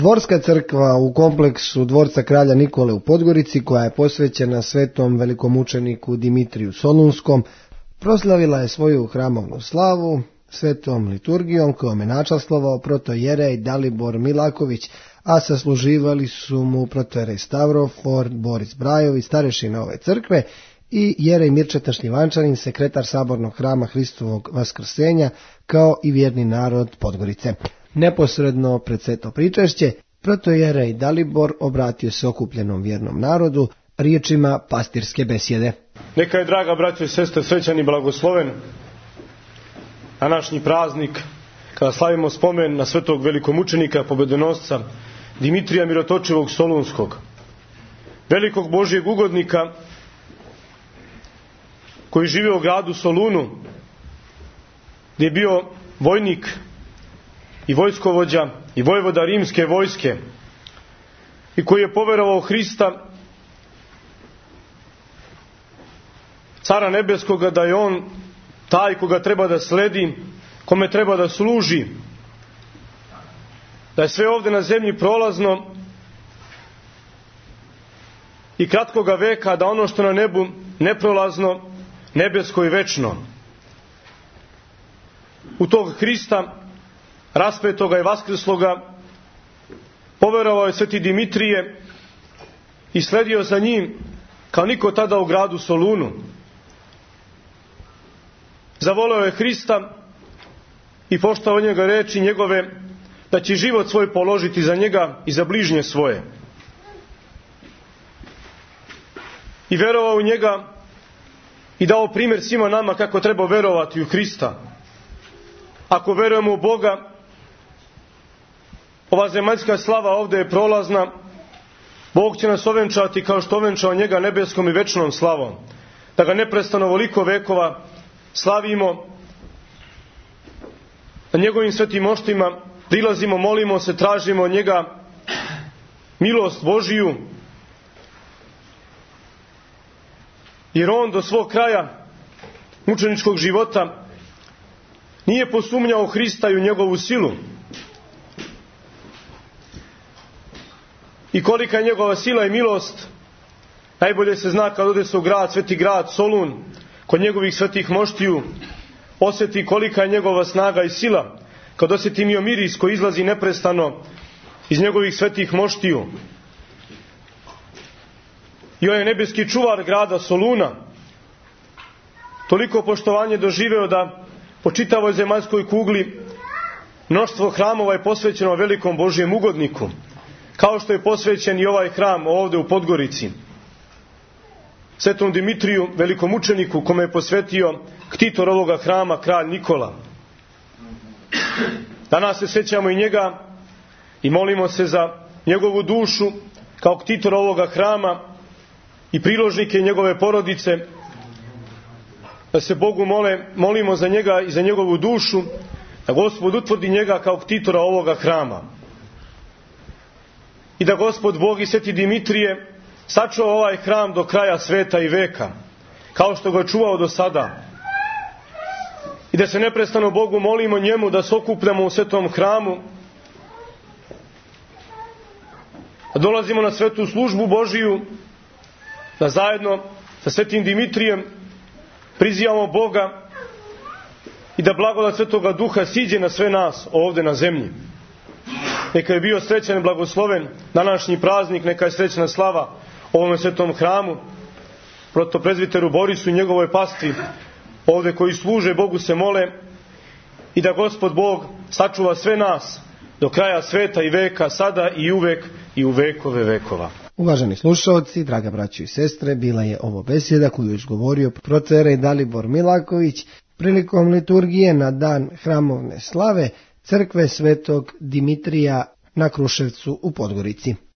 Dvorska crkva u kompleksu dvorca kralja Nikole u Podgorici, koja je posvećena svetom velikomučeniku Dimitriju Solunskom, proslavila je svoju hramovnu slavu svetom liturgijom kojom je načastvovao protojerej Dalibor Milaković, a sasluživali su mu protojerej Stavrofor Boris Brajović, starešina ove crkve, i jerej Mirčeta Šljivančanin, sekretar sabornog hrama Hristovog vaskrsenja, kao i vjerni narod Podgorice. Neposredno pred sveto pričešće, protojerej Dalibor obratio se okupljenom vjernom narodu riječima pastirske besjede. Neka je, draga braćo i sestre, srećan i blagosloven današnji praznik kada slavimo spomen na svetog velikomučenika, pobedonosca Dimitrija Mirotočivog Solunskog, velikog Božjeg ugodnika koji živio u gradu Solunu, gdje je bio vojnik i vojskovođa i vojvoda rimske vojske i koji je poverovao Hrista, Cara nebeskoga, da je on taj koga treba da sledi, kome treba da služi, da je sve ovdje na zemlji prolazno i kratkoga veka, da ono što na nebu neprolazno, nebesko i večno. U tog Hrista, raspetoga i vaskrsloga, poverovao je sveti Dimitrije i sledio za njim kao niko tada u gradu Solunu. Zavoleo je Hrista i poštovao njega reči njegove da će život svoj položiti za njega i za bližnje svoje. I verovao u njega i dao primjer svima nama kako treba verovati u Hrista. Ako verujemo u Boga, ova zemaljska slava ovdje je prolazna, Bog će nas ovenčati kao što ovenčao njega nebeskom i večnom slavom, da ga neprestano ovoliko vekova slavimo, na njegovim svetim moštima prilazimo, molimo se, tražimo od njega milost Božiju, jer on do svog kraja mučeničkog života nije posumnjao Hrista i u njegovu silu. I kolika je njegova sila i milost najbolje se zna kad ode se u grad, sveti grad Solun, kod njegovih svetih moštiju, osjeti kolika je njegova snaga i sila kad osjeti miris koji izlazi neprestano iz njegovih svetih moštiju. I on je nebeski čuvar grada Soluna toliko poštovanje doživeo da po čitavoj zemaljskoj kugli mnoštvo hramova je posvećeno velikom Božjem ugodniku, kao što je posvećen i ovaj hram ovdje u Podgorici svetom Dimitriju velikomučeniku, kome je posvetio ktitor ovoga hrama kralj Nikola. Danas se sjećamo i njega i molimo se za njegovu dušu kao ktitor ovoga hrama i priložnike njegove porodice, da se Bogu molimo za njega i za njegovu dušu, da Gospod utvrdi njega kao ktitora ovoga hrama i da Gospod Bog i sveti Dimitrije sačuva ovaj hram do kraja sveta i veka, kao što ga je čuvao do sada, i da se neprestano Bogu molimo njemu da se okupljamo u svetom hramu, da dolazimo na svetu službu Božiju, da zajedno sa svetim Dimitrijem prizivamo Boga i da blagodat Svetoga Duha siđe na sve nas ovdje na zemlji. Neka je bio srećan i blagosloven današnji praznik, neka je srećna slava ovome svetom hramu, protoprezbiteru Borisu i njegovoj pastvi ovdje koji služe Bogu se mole, i da Gospod Bog sačuva sve nas do kraja sveta i veka, sada i uvek i u vekove vekova. Uvaženi slušalci, draga braćo i sestre, bila je ovo besjeda koju je izgovorio protojerej Dalibor Milaković prilikom liturgije na dan hramovne slave crkve svetog Dimitrija na Kruševcu u Podgorici.